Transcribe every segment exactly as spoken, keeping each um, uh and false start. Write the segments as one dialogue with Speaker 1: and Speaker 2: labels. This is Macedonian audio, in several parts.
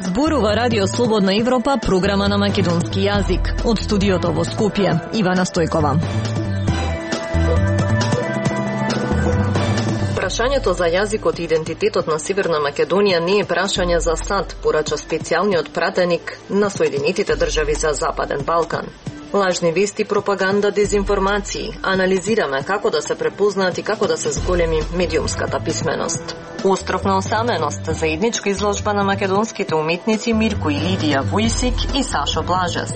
Speaker 1: Зборува Радио Слободна Европа, програма на македонски јазик. Од студиото во Скопје, Ивана Стојкова. Прашањето за јазикот и идентитетот на Северна Македонија не е прашање за сад, порача специјалниот пратеник на Соединетите држави за Западен Балкан. Лажни вести, пропаганда, дезинформации. Анализираме како да се препознаат и како да се зголеми медиумската писменост. Остров на осаменост, заедничка изложба на македонските уметници Мирко и Лидија Војсик и Сашо Блажес.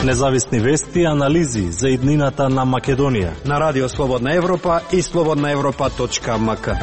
Speaker 2: Независни вести и анализи за иднината на Македонија
Speaker 3: на Радио Слободна Европа и слободна европа точка ем ка.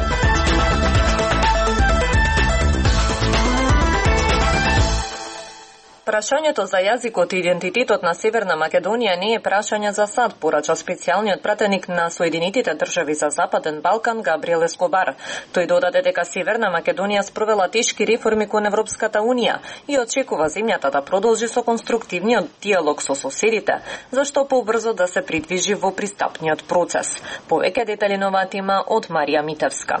Speaker 1: Прашањето за јазикот и идентитетот на Северна Македонија не е прашање за сад, порача специјалниот пратеник на Соединетите држави за Западен Балкан Габриел Ескобар. Тој додаде дека Северна Македонија спровела тешки реформи кон Европската унија и очекува земјата да продолжи со конструктивниот диалог со соседите, зашто побрзо да се придвижи во пристапниот процес. Повеќе детали на оваа тема од Марија Митевска.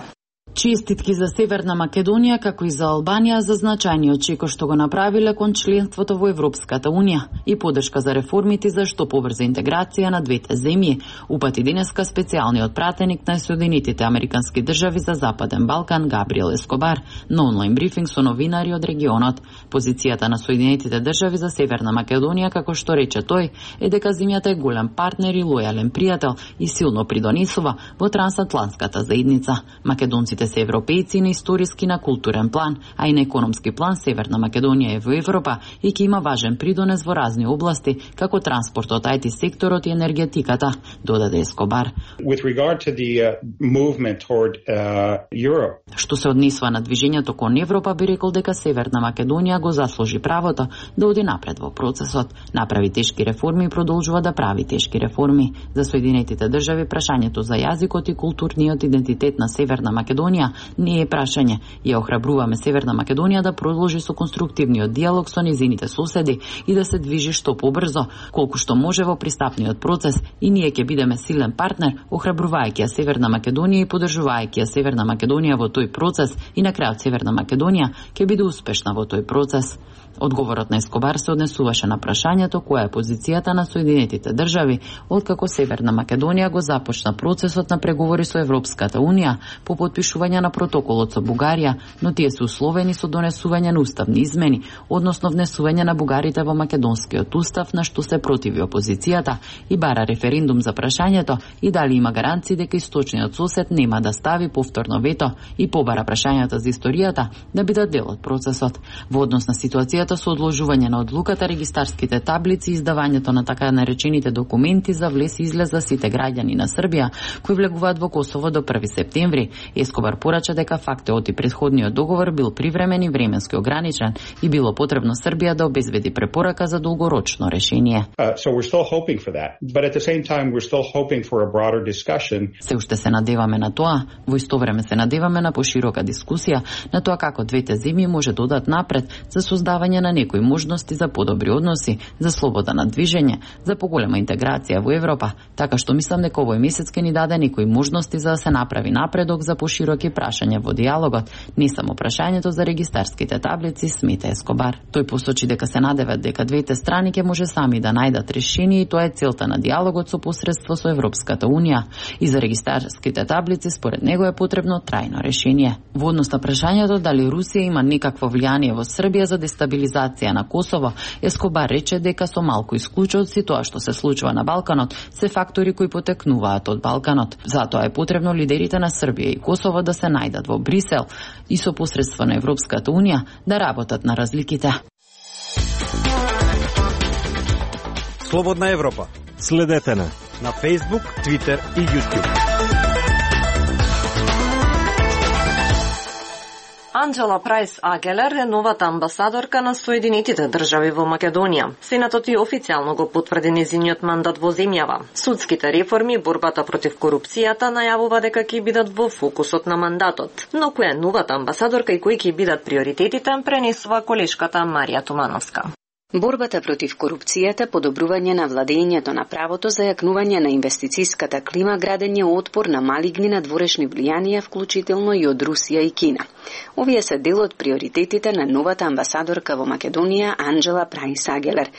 Speaker 4: Честитки за Северна Македонија, како и за Албанија, за значајниот чекор што го направиле кон членството во Европската Унија и поддршка за реформите за што побрза интеграција на двете земји, упати денеска специјалниот пратеник на Соединетите Американски држави за Западен Балкан Габриел Ескобар на онлайн брифинг со новинари од регионот. Позицијата на Соединетите држави за Северна Македонија, како што рече тој, е дека земјата е голем партнер и лојален пријател и силно придонесува во трансатлантската заедница. Македонците се европејци на историски, на културен план, а и на економски план Северна Македонија е во Европа и ќе има важен придонес во разни области, како транспортот, ай ти секторот и енергетиката, додаде Ескобар.
Speaker 5: With regard to the uh, movement toward uh, Europe.
Speaker 4: Што се однесува на движењето кон Европа, би рекол дека Северна Македонија го заслужи правото да оди напред во процесот, направи тешки реформи и продолжува да прави тешки реформи. За Соединетите држави прашањето за јазикот и културниот идентитет на Северна Македонија не е прашање и ја охрабруваме Северна Македонија да продолжи со конструктивниот диалог со незините соседи и да се движи што побрзо, колку што може во пристапниот процес, и ние ќе бидеме силен партнер, охрабрувајќи ја Северна Македонија и поддржувајќи ја Северна Македонија во тој процес, и на крајот Северна Македонија ќе биде успешна во тој процес. Одговорот на Ескобар се однесуваше на прашањето која е позицијата на Соединетите држави откако Северна Македонија го започна процесот на преговори со Европската Унија по потпишување на протоколот со Бугарија, но тие се условени со донесување на уставни измени, односно внесување на бугарите во македонскиот устав, на што се противи опозицијата и бара референдум за прашањето и дали има гаранции дека источниот сосед нема да стави повторно вето и побара прашањата за историјата да бидат дел од процесот. Во однос на ситуацијата со одложување на одлуката, регистарските таблици и издавањето на така наречените документи за влез и излез за сите граѓани на Србија кои влегуваат во Косово до први септември, Ескобар порача дека фактот и претходниот договор бил привремен и временски ограничен и било потребно Србија да обезбеди препорака за долгорочно решение.
Speaker 5: Uh, so we're still hoping for that, but at the same time we're still hoping for a broader discussion.
Speaker 4: Се уште се надеваме на тоа, во исто време се надеваме на поширока дискусија на тоа како двете земји може да одат напред за создавање на некои можности за подобри односи, за слобода на движење, за поголема интеграција во Европа, така што мислам дека овој месец ќе ни даде некои можности за да се направи напредок за пошироки прашања во диалогот, не само прашањето за регистарските таблици, смета Ескобар. Тој посочи дека се надеват дека двете страни ќе може сами да најдат решение и тоа е целта на диалогот со посредство со Европската Унија. И за регистарските таблици според него е потребно трајно решение. Во однос на прашањето дали Русија има некакво влијание во Србија за дестабилизација на Косово, Ескобар рече дека со малку исклучоци тоа што се случува на Балканот се фактори кои потекнуваат од Балканот. Затоа е потребно лидерите на Србија и Косово да се најдат во Брисел и со посредство на Европската Унија да работат на разликите.
Speaker 3: Слободна Европа.
Speaker 2: Следете на
Speaker 3: на Facebook, Twitter и YouTube.
Speaker 1: Анџела Прајс Агелер е новата амбасадорка на Соединетите држави во Македонија. Сенатот и официјално го потврди незиниот мандат во земјава. Судските реформи и борбата против корупцијата најавува дека ќе бидат во фокусот на мандатот. Но која е новата амбасадорка и кои ќе бидат приоритетите, пренесува колешката Марија Тумановска.
Speaker 6: Борбата против корупцијата, подобрување на владењето на правото, зајакнување на инвестицијската клима, градење отпор на малигни надворешни влијанија, вклучително и од Русија и Кина. Овие се дел од приоритетите на новата амбасадорка во Македонија Анџела Прајс Агелер.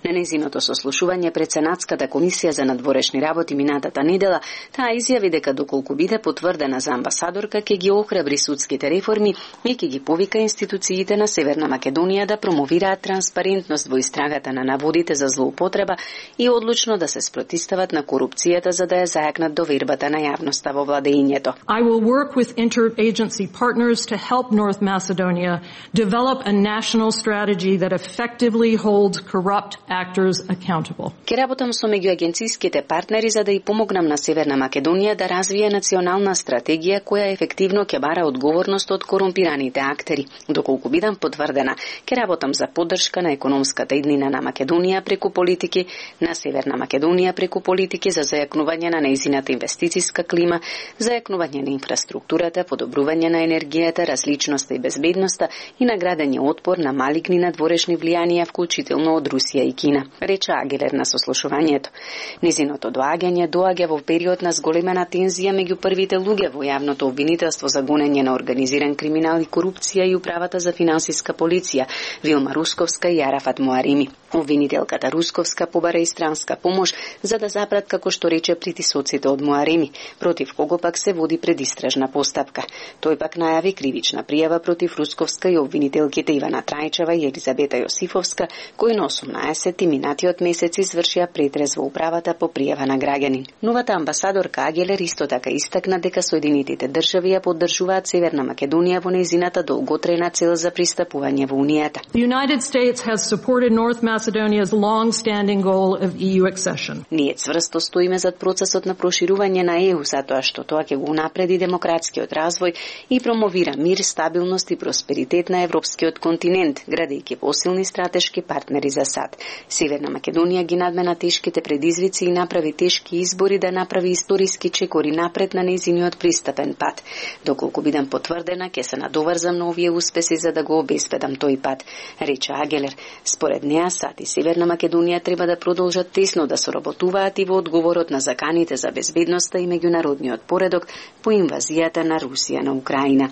Speaker 6: На нејзиното сослушување пред Сенатската комисија за надворешни работи минатата недела, таа изјави дека доколку биде потврдена за амбасадорка, ќе ги охрабри судските реформи и ќе ги повика институциите на Северна Македонија да промовираат транспарентност во истрагата на наводите за злоупотреба и одлучно да се спротивстават на корупцијата за да ја зајакнат довербата на јавноста во владењето.
Speaker 7: I will work with interagency partners to help North Macedonia develop a national strategy that effectively holds corrupt actors accountable.
Speaker 6: Ке работам со меѓуагенцијските партнери за да и помогнам на Северна Македонија да развие национална стратегија која ефективно ќе бара одговорност од корумпираните актери. Доколку бидам потврдена, ке работам за поддршка на економската иднина на Македонија преку политики, на Северна Македонија преку политики за зајакнување на нејзината инвестицијска клима, зајакнување на инфраструктурата, подобрување на енергијата, различноста и безбедноста и наградење отпор на малигни надворешни влијанија, вклучително од Русија и Кина, рече Агелер на сослушувањето. Низиното доаѓање доаѓа во период на зголемена тензија меѓу првите луѓе во јавното обвинителство за гонење на организиран криминал и корупција и управата за финансиска полиција Вилма Русковска и Арафат Муареми. Обвинителката Русковска побара и странска помош за да запрат, како што рече, притисоците од Муареми, против кого пак се води предистражна постапка. Тој пак најави кривична пријава против Русковска и обвинителките Ивана Трајчева и Елизабета Јосифовска, кои на осумнаесети минатиот месец извршија претрез во управата по пријава на граѓанин. Новата амбасадорка Агелер исто така истакна дека Соединетите држави ја поддржуваат Северна Македонија во нејзината долготрена цел за пристапување во Унијата.
Speaker 7: The United States has supported North Macedonia's long-standing goal of E U accession.
Speaker 6: Ние цврсто стоиме зад процесот на проширување на Е У затоа што тоа ќе го унапреди демократскиот развој и промовира мир, стабилност и просперитет на европскиот континент, градејќи посилни стратешки партнери за САД. Северна Македонија ги надмена тешките предизвици и направи тешки избори да направи историски чекори напред на нејзиниот пристапен пат. Доколку бидам потврдена, ќе се надоврзам на овие успеси за да го обезбедам тој пат, рече Агелер. Според неа, САД и Северна Македонија треба да продолжат тесно да соработуваат и во одговорот на заканите за безбедноста и меѓународниот поредок по инвазијата на Русија на Украина.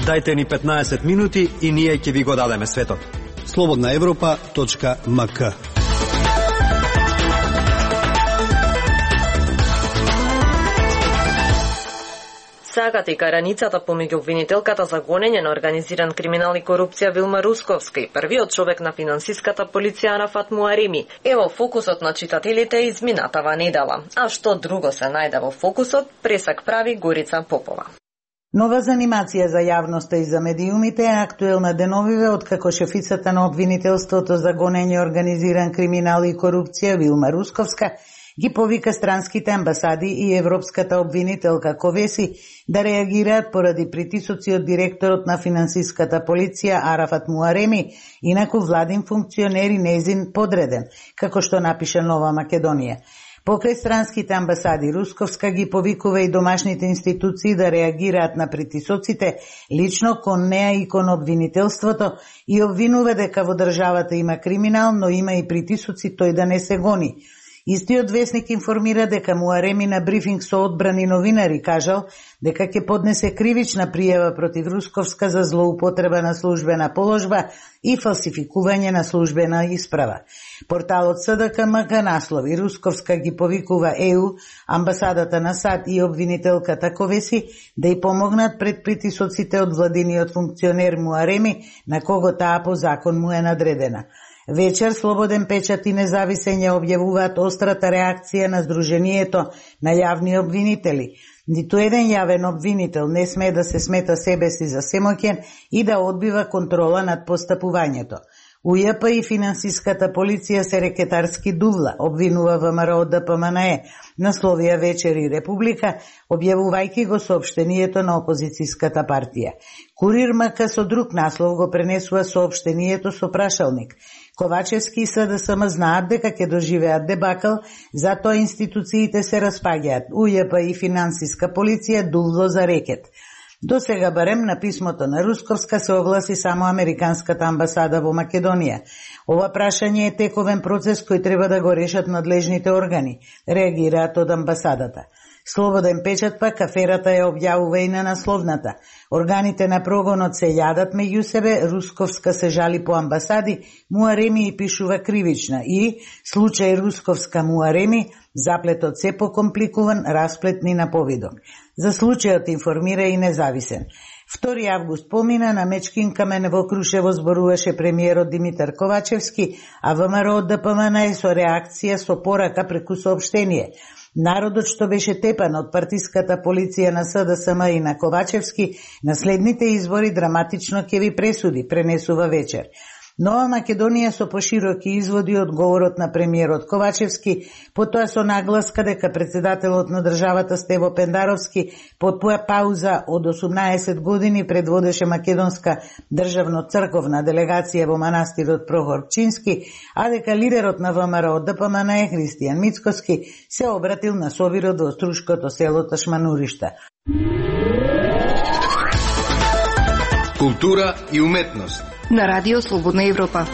Speaker 3: Дајте ни петнаесет минути и ние ќе ви го дадеме светот. слободна европа точка ем ка.
Speaker 1: Сагата и караницата помеѓу обвинителката за гонење на организиран криминал и корупција Вилма Русковска и првиот човек на финансиската полиција Арафат Муареми е во фокусот на читателите изминатава недела. А што друго се најде во фокусот, пресак прави Горица Попова.
Speaker 8: Нова занимација за јавноста и за медиумите е актуелна деновиве откако шефицата на обвинителството за гонење организиран криминал и корупција Вилма Русковска ги повика странските амбасади и европската обвинителка Ковеси да реагираат поради притисоци од директорот на финансиската полиција Арафат Муареми, инаку владин функционер и нејзин подреден, како што напише Нова Македонија. Покрај странските амбасади, Русковска ги повикува и домашните институции да реагираат на притисоците лично кон неа и кон обвинителството и обвинува дека во државата има криминал, но има и притисоци тој да не се гони. Истиот весник информира дека Муареми на брифинг со одбрани новинари кажал дека ќе поднесе кривична пријава против Русковска за злоупотреба на службена положба и фалсификување на службена исправа. Порталот С Д К М К наслови: Русковска ги повикува Е У, амбасадата на САД и обвинителката Ковеси да ја помогнат пред притисоците од владиниот функционер Муареми, на кого таа по закон му е надредена. Вечер Слободен печат и Независен ја објавуваат острата реакција на Сдруженијето на јавни обвинители. Ниту еден јавен обвинител не смее да се смета себе си за семоќен и да одбива контрола над постапувањето. У Ј П и финансиската полиција се рекетарски дувла, обвинува Вэ М Р од Д П М Н Е, насловија Вечер и Република, објавувајќи го соопштението на опозицијската партија. Курир М К со друг наслов го пренесува соопштението со прашалник. Ковачевски и С Д С М знаат дека ќе доживеат дебакл, затоа институциите се распаѓаат. У Ј П и финансиска полиција дувло за рекет. До сега барем на писмото на Русковска се огласи само Американската амбасада во Македонија. Ова прашање е тековен процес кој треба да го решат надлежните органи, реагираат од амбасадата. Слободен печат пак аферата ја објавува и на насловната. Органите на прогонот се јадат меѓу себе, Русковска се жали по амбасади, Муареми и пишува кривична и случај Русковска Муареми, заплетот се покомпликуван, расплетни на повидок. За случајот информира и Независен. втори август помина, на Мечкин камен во Крушево зборуваше премиерот Димитар Ковачевски, а ВМРО од ДПМН е со реакција со порака преку соопштение. Народот што беше тепан од партиската полиција на СДСМ и на Ковачевски, на следните избори драматично ќе ви пресуди, пренесува вечер. Нова Македонија со пошироки изводи од говорот на премиерот Ковачевски, потоа со нагласка дека председателот на државата Стево Пендаровски под пауза од осумнаесет години предводеше македонска државно-црковна делегација во манастирот Прохор Пчински, а дека лидерот на ВМРО ДПМН Христијан Мицкоски се обратил на собирот во струшкото село Ташмануришта.
Speaker 9: Култура и уметност
Speaker 10: на Радио Слободна Европа.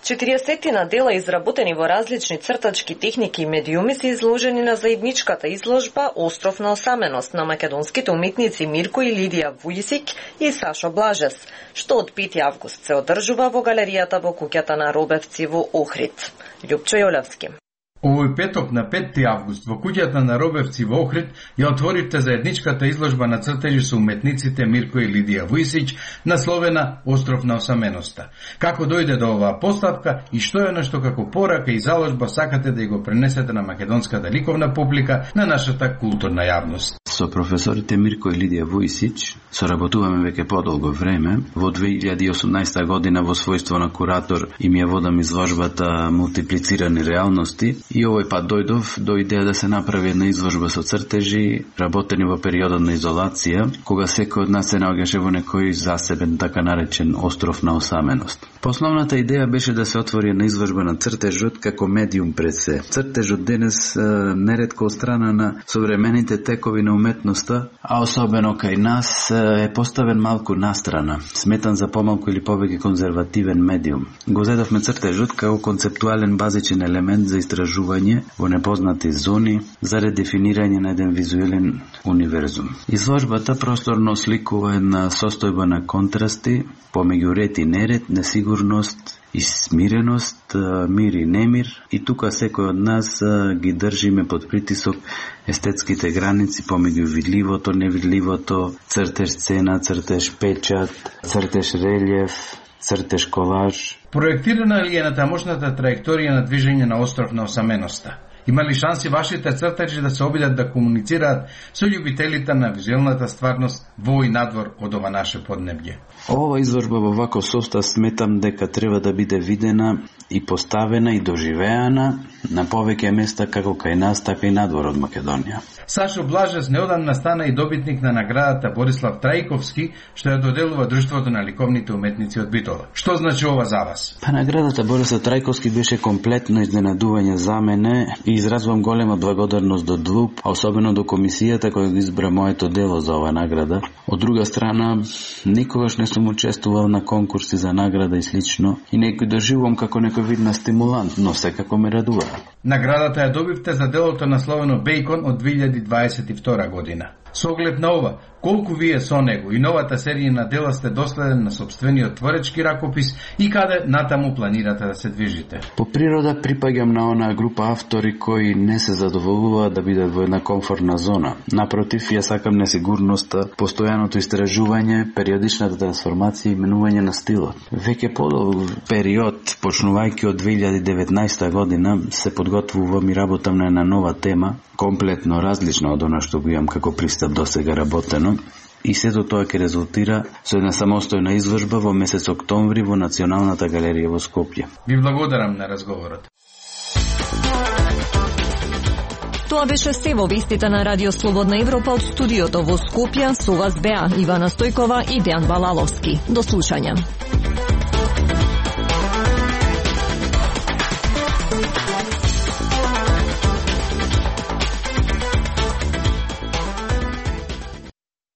Speaker 1: четириесетина дела изработени во различни цртачки техники и медиуми се изложени на заедничката изложба Остров на осаменост на македонските уметници Мирко и Лидија Вујсик и Сашо Блажес, што од пети август се одржува во галеријата во куќата на Робевци во Охрид. Љупчо Јолевски.
Speaker 11: Овој петок на пети август во куќата на Робевци во Охрид ја отворивте заедничката изложба на цртежи со уметниците Мирко и Лидија Вујсич, насловена Остров на осаменоста. Како дојде до оваа поставка и што е нешто како порака и заложба сакате да ја го пренесете на македонската ликовна публика, на нашата културна јавност?
Speaker 12: Со професорите Мирко и Лидија Вујсич соработуваме веќе подолго време. Во две илјади и осумнаесета година во својство на куратор им ја водам изложбата Мултиплицирани реалности и овој пат дојдов до идеја да се направи една изложба со цртежи работени во периодот на изолација, кога секој од нас се наоѓаше во некој засебен, така наречен остров на осаменост. Основната идеја беше да се отвори една изложба на цртежот како медиум пред се. Цртежот денес неретко од страна на современите текови на уметноста, а особено кај нас е поставен малку настрана, сметан за помалку или повеќе конзервативен медиум. Го зедовме цртежот како концептуален базичен елемент за истражување во непознати зони, за редефинирање на еден визуелен универзум. Изложбата просторно сликува една состојба на контрасти помеѓу ред и неред, несигурност и смиреност, мир и немир, и тука секој од нас ги држиме под притисок естетските граници помеѓу видливото, невидливото, цртеж сцена, цртеж печат, цртеж релјеф, цртеж колаж.
Speaker 11: Проектирана ли е на тамошната траекторија на движење на Остров на осаменоста? Има ли шанси вашите цртежи да се обидат да комуницираат со љубителите на визуелната стварност во и надвор од ова наше поднебје?
Speaker 12: Ова изложба во ваков состав сметам дека треба да биде видена и поставена и доживеана на повеќе места како кај нас, така и надвор од Македонија.
Speaker 11: Сашо Блажес неодамна стана и добитник на наградата Борислав Трајковски, што ја доделува Друштвото на ликовните уметници од Битола. Што значи ова за вас?
Speaker 12: Па наградата Борислав Трајковски беше комплетно изненадување за мене и изразвам голема благодарност до ДЛУП, а особено до комисијата која го избра моето дело за ова награда. Од друга страна, никогаш не сум учествувал на конкурси за награда и слично и не го доживувам како некој вид на стимулант, но секако ме радува.
Speaker 11: Наградата ја добивте за делото насловено Бејкон од две илјади дваесет и втора година. Со оглед на ова, колку вие со него и новата серија на дела сте доследен на собствениот творечки ракопис и каде натаму планирате да се движите?
Speaker 12: По природа припаѓам на онаа група автори кои не се задоволуваат да бидат во една комфортна зона. Напротив, ја сакам несигурноста, постојаното истражување, периодичната трансформација и менување на стилот. Веќе подолг период, почнувајќи од две илјади и деветнаесета година, се подготвувам и работам на една нова тема, комплетно различна од она што го имам како пристап до сега работено, и сето тоа ќе резултира со една самостојна изложба во месец октомври во Националната галерија во Скопје.
Speaker 11: Ви благодарам на разговорот.
Speaker 10: Тоа беше се во вестите на Радио Слободна Европа од студиото во Скопје. Со вас беа Ивана Стојкова и Дејан Балаловски. До слушање.